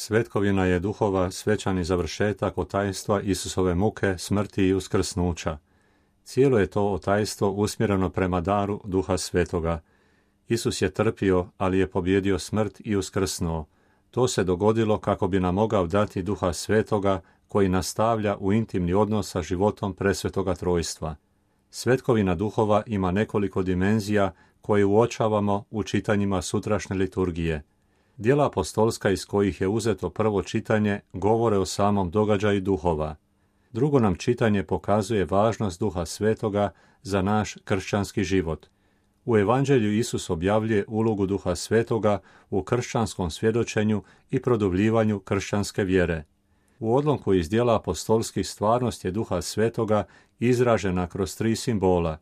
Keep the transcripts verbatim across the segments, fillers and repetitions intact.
Svetkovina je duhova svečani završetak otajstva Isusove muke, smrti i uskrsnuća. Cijelo je to otajstvo usmjereno prema daru Duha Svetoga. Isus je trpio, ali je pobjedio smrt i uskrsnuo. To se dogodilo kako bi nam mogao dati Duha Svetoga, koji nastavlja u intimni odnos sa životom presvetoga trojstva. Svetkovina duhova ima nekoliko dimenzija koje uočavamo u čitanjima sutrašnje liturgije. Djela apostolska iz kojih je uzeto prvo čitanje govore o samom događaju duhova. Drugo nam čitanje pokazuje važnost Duha Svetoga za naš kršćanski život. U Evanđelju Isus objavljuje ulogu Duha Svetoga u kršćanskom svjedočenju i produbljivanju kršćanske vjere. U odlomku iz djela apostolskih stvarnost je Duha Svetoga izražena kroz tri simbola.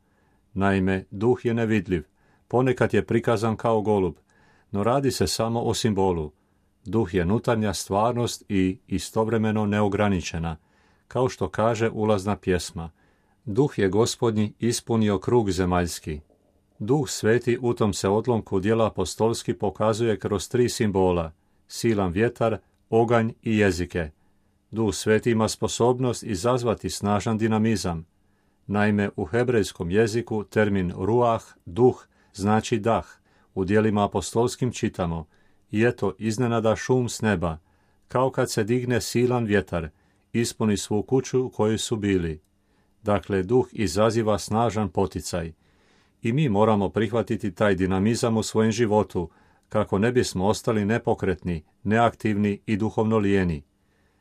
Naime, Duh je nevidljiv, ponekad je prikazan kao golub, no radi se samo o simbolu. Duh je nutarnja stvarnost i istovremeno neograničena, kao što kaže ulazna pjesma. Duh je Gospodnji ispunio krug zemaljski. Duh Sveti u tom se odlomku djela apostolski pokazuje kroz tri simbola, silan vjetar, oganj i jezike. Duh Sveti ima sposobnost izazvati snažan dinamizam. Naime, u hebrejskom jeziku termin ruah, duh, znači dah. U djelima apostolskim čitamo: i eto iznenada šum s neba, kao kad se digne silan vjetar, ispuni svu kuću u kojoj su bili. Dakle, duh izaziva snažan poticaj. I mi moramo prihvatiti taj dinamizam u svojem životu, kako ne bismo ostali nepokretni, neaktivni i duhovno lijeni.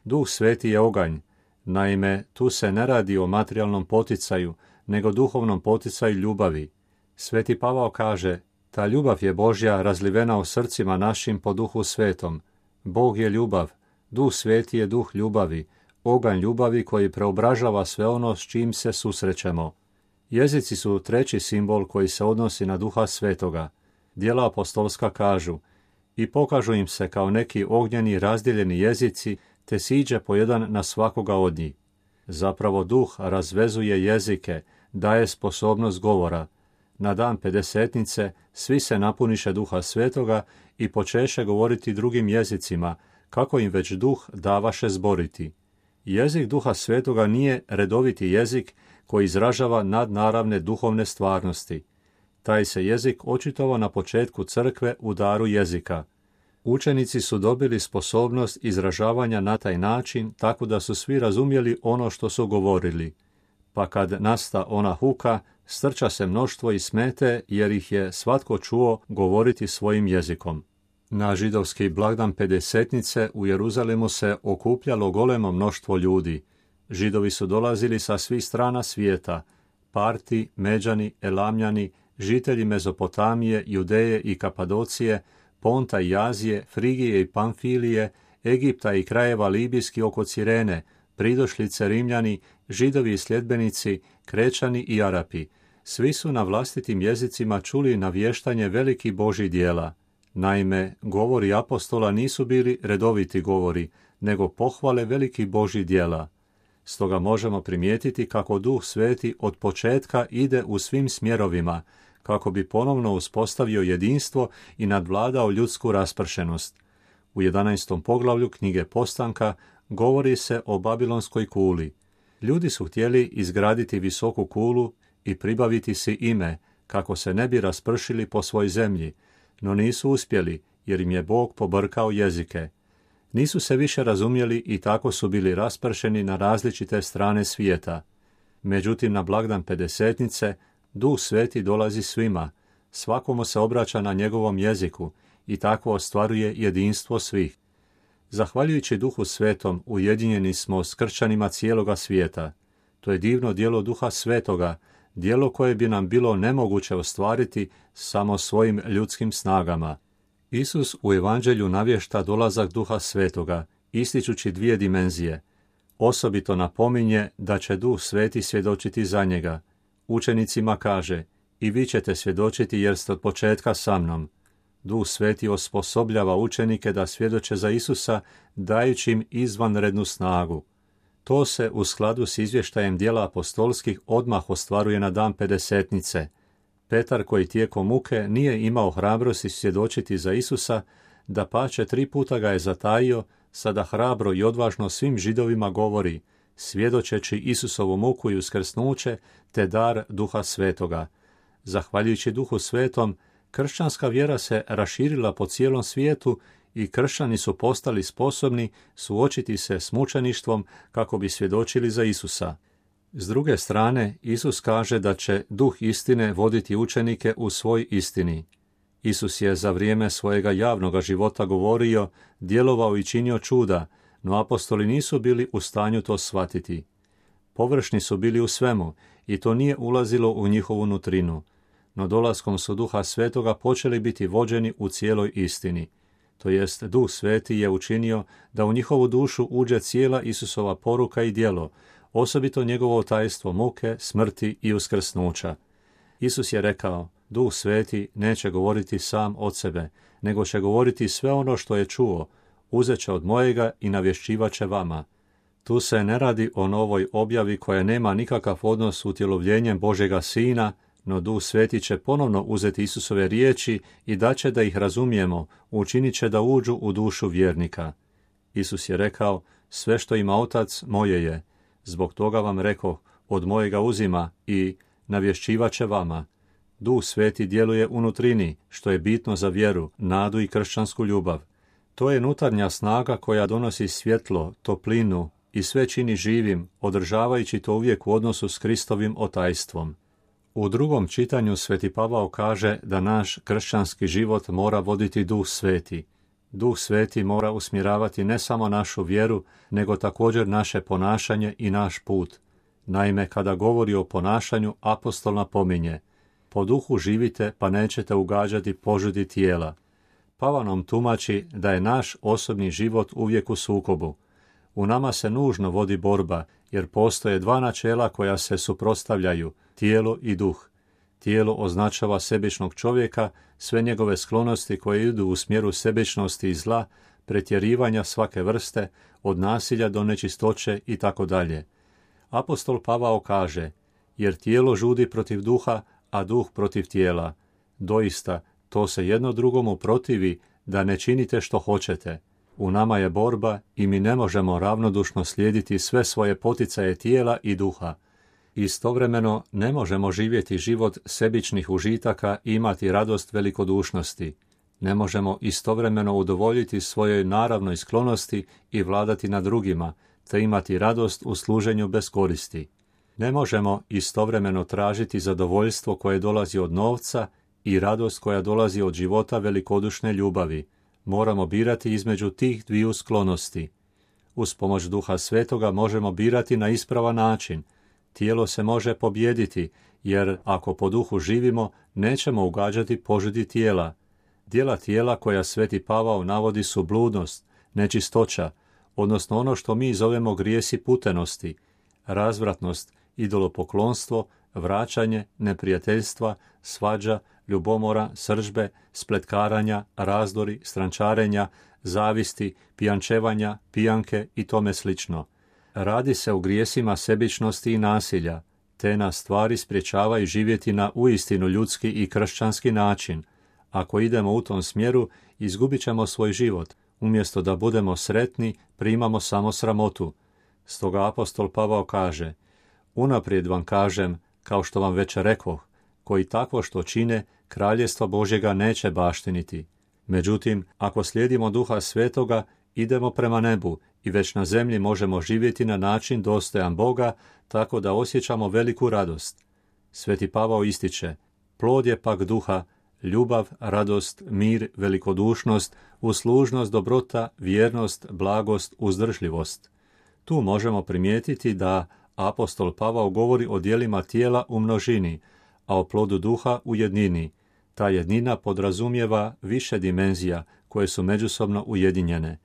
Duh Sveti je oganj. Naime, tu se ne radi o materijalnom poticaju, nego duhovnom poticaju ljubavi. Sveti Pavao kaže: ta ljubav je Božja razlivena u srcima našim po Duhu Svetom. Bog je ljubav, Duh Sveti je duh ljubavi, oganj ljubavi koji preobražava sve ono s čim se susrećemo. Jezici su treći simbol koji se odnosi na Duha Svetoga. Djela apostolska kažu: i pokažu im se kao neki ognjeni razdjeljeni jezici, te siđe po jedan na svakoga od njih. Zapravo Duh razvezuje jezike, daje sposobnost govora. Na dan pedesetnice svi se napuniše Duha Svetoga i počeše govoriti drugim jezicima, kako im već Duh davaše zboriti. Jezik Duha Svetoga nije redoviti jezik koji izražava nadnaravne duhovne stvarnosti. Taj se jezik očitovao na početku crkve u daru jezika. Učenici su dobili sposobnost izražavanja na taj način, tako da su svi razumjeli ono što su govorili. Pa kad nasta ona huka, strča se mnoštvo i smete, jer ih je svatko čuo govoriti svojim jezikom. Na židovski blagdan pedesetnice u Jeruzalemu se okupljalo golemo mnoštvo ljudi. Židovi su dolazili sa svih strana svijeta: Parti, Međani, Elamljani, žitelji Mezopotamije, Judeje i Kapadocije, Ponta i Azije, Frigije i Pamfilije, Egipta i krajeva libijski oko Cirene, pridošlice Rimljani, Židovi i sljedbenici, Krečani i Arapi. Svi su na vlastitim jezicima čuli navještanje velikih Božjih djela. Naime, govori apostola nisu bili redoviti govori, nego pohvale velikih Božjih djela. Stoga možemo primijetiti kako Duh Sveti od početka ide u svim smjerovima, kako bi ponovno uspostavio jedinstvo i nadvladao ljudsku raspršenost. U jedanaestom poglavlju knjige Postanka govori se o Babilonskoj kuli. Ljudi su htjeli izgraditi visoku kulu i pribaviti si ime, kako se ne bi raspršili po svoj zemlji, no nisu uspjeli, jer im je Bog pobrkao jezike. Nisu se više razumjeli i tako su bili raspršeni na različite strane svijeta. Međutim, na blagdan pedesetnice Duh Sveti dolazi svima, svakomu se obraća na njegovom jeziku i tako ostvaruje jedinstvo svih. Zahvaljujući Duhu Svetom ujedinjeni smo s kršćanima cijeloga svijeta. To je divno djelo Duha Svetoga, djelo koje bi nam bilo nemoguće ostvariti samo svojim ljudskim snagama. Isus u Evanđelju navješta dolazak Duha Svetoga, ističući dvije dimenzije. Osobito napominje da će Duh Sveti svjedočiti za njega. Učenicima kaže: i vi ćete svjedočiti jer ste od početka sa mnom. Duh Sveti osposobljava učenike da svjedoče za Isusa, dajući im izvanrednu snagu. To se u skladu s izvještajem djela apostolskih odmah ostvaruje na dan pedesetnice. Petar, koji tijekom muke nije imao hrabrosti svjedočiti za Isusa, dapače tri puta ga je zatajio, sada hrabro i odvažno svim Židovima govori, svjedočeći Isusovu muku i uskrsnuće, te dar Duha Svetoga. Zahvaljujući Duhu Svetom, kršćanska vjera se raširila po cijelom svijetu i kršćani su postali sposobni suočiti se s mučeništvom kako bi svjedočili za Isusa. S druge strane, Isus kaže da će Duh istine voditi učenike u svoj istini. Isus je za vrijeme svojega javnoga života govorio, djelovao i činio čuda, no apostoli nisu bili u stanju to shvatiti. Površni su bili u svemu i to nije ulazilo u njihovu nutrinu, no dolaskom su Duha Svetoga počeli biti vođeni u cijeloj istini. To jest, Duh Sveti je učinio da u njihovu dušu uđe cijela Isusova poruka i djelo, osobito njegovo tajstvo muke, smrti i uskrsnuća. Isus je rekao, Duh Sveti neće govoriti sam od sebe, nego će govoriti sve ono što je čuo, uzet će od mojega i navješćivat će vama. Tu se ne radi o novoj objavi koja nema nikakav odnos s utjelovljenjem Božjega Sina, no Duh Sveti će ponovno uzeti Isusove riječi i daće da ih razumijemo, učinit će da uđu u dušu vjernika. Isus je rekao, sve što ima Otac moje je, zbog toga vam rekoh, od mojega uzima i navješćivat će vama. Duh Sveti djeluje u nutrini, što je bitno za vjeru, nadu i kršćansku ljubav. To je unutarnja snaga koja donosi svjetlo, toplinu i sve čini živim, održavajući to uvijek u odnosu s Kristovim otajstvom. U drugom čitanju Sveti Pavao kaže da naš kršćanski život mora voditi Duh Sveti. Duh Sveti mora usmjeravati ne samo našu vjeru, nego također naše ponašanje i naš put. Naime, kada govori o ponašanju, apostol napominje, po duhu živite pa nećete ugađati požudi tijela. Pavao nam tumači da je naš osobni život uvijek u sukobu. U nama se nužno vodi borba, jer postoje dva načela koja se suprotstavljaju, tijelo i duh. Tijelo označava sebičnog čovjeka, sve njegove sklonosti koje idu u smjeru sebičnosti i zla, pretjerivanja svake vrste, od nasilja do nečistoće i tako dalje. Apostol Pavao kaže, jer tijelo žudi protiv duha, a duh protiv tijela. Doista, to se jedno drugomu protivi da ne činite što hoćete. U nama je borba i mi ne možemo ravnodušno slijediti sve svoje poticaje tijela i duha. Istovremeno ne možemo živjeti život sebičnih užitaka i imati radost velikodušnosti. Ne možemo istovremeno udovoljiti svojoj naravnoj sklonosti i vladati nad drugima, te imati radost u služenju bez koristi. Ne možemo istovremeno tražiti zadovoljstvo koje dolazi od novca i radost koja dolazi od života velikodušne ljubavi. Moramo birati između tih dviju sklonosti. Uz pomoć Duha Svetoga možemo birati na ispravan način. Tijelo se može pobijediti, jer ako po duhu živimo, nećemo ugađati požudi tijela. Djela tijela koja Sveti Pavao navodi su bludnost, nečistoća, odnosno ono što mi zovemo grijesi putenosti, razvratnost, idolopoklonstvo, vraćanje, neprijateljstva, svađa, ljubomora, srdžbe, spletkaranja, razdori, strančarenja, zavisti, pijančevanja, pijanke i tome slično. Radi se o grijesima sebičnosti i nasilja. Te nas stvari sprječavaju živjeti na uistinu ljudski i kršćanski način. Ako idemo u tom smjeru, izgubit ćemo svoj život. Umjesto da budemo sretni, primamo samo sramotu. Stoga apostol Pavao kaže, unaprijed vam kažem, kao što vam već rekoh, koji takvo što čine, kraljestvo Božjega neće baštiniti. Međutim, ako slijedimo Duha Svetoga, idemo prema nebu i već na zemlji možemo živjeti na način dostojan Boga, tako da osjećamo veliku radost. Sveti Pavao ističe, plod je pak duha, ljubav, radost, mir, velikodušnost, uslužnost, dobrota, vjernost, blagost, uzdržljivost. Tu možemo primijetiti da apostol Pavao govori o djelima tijela u množini, a o plodu duha u jednini. Ta jednina podrazumijeva više dimenzija koje su međusobno ujedinjene.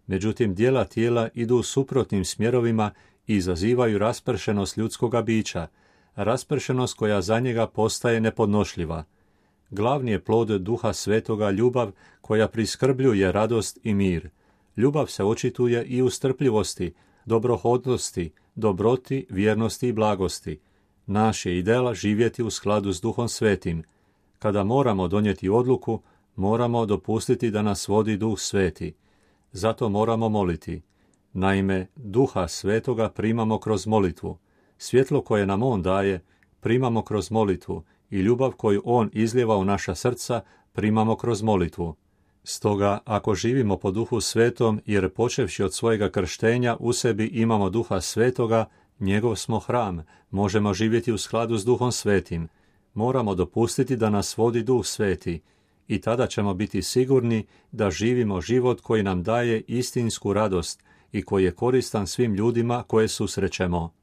Međutim, djela tijela idu suprotnim smjerovima i izazivaju raspršenost ljudskoga bića, raspršenost koja za njega postaje nepodnošljiva. Glavni je plod Duha Svetoga ljubav koja priskrbljuje radost i mir. Ljubav se očituje i u strpljivosti, dobrohodnosti, dobroti, vjernosti i blagosti. Naš je ideal živjeti u skladu s Duhom Svetim. Kada moramo donijeti odluku, moramo dopustiti da nas vodi Duh Sveti. Zato moramo moliti. Naime, Duha Svetoga primamo kroz molitvu. Svjetlo koje nam On daje primamo kroz molitvu i ljubav koju On izlijeva u naša srca primamo kroz molitvu. Stoga, ako živimo po Duhu Svetom, jer počevši od svojega krštenja u sebi imamo Duha Svetoga, njegov smo hram, možemo živjeti u skladu s Duhom Svetim. Moramo dopustiti da nas vodi Duh Sveti i tada ćemo biti sigurni da živimo život koji nam daje istinsku radost i koji je koristan svim ljudima koje susrećemo.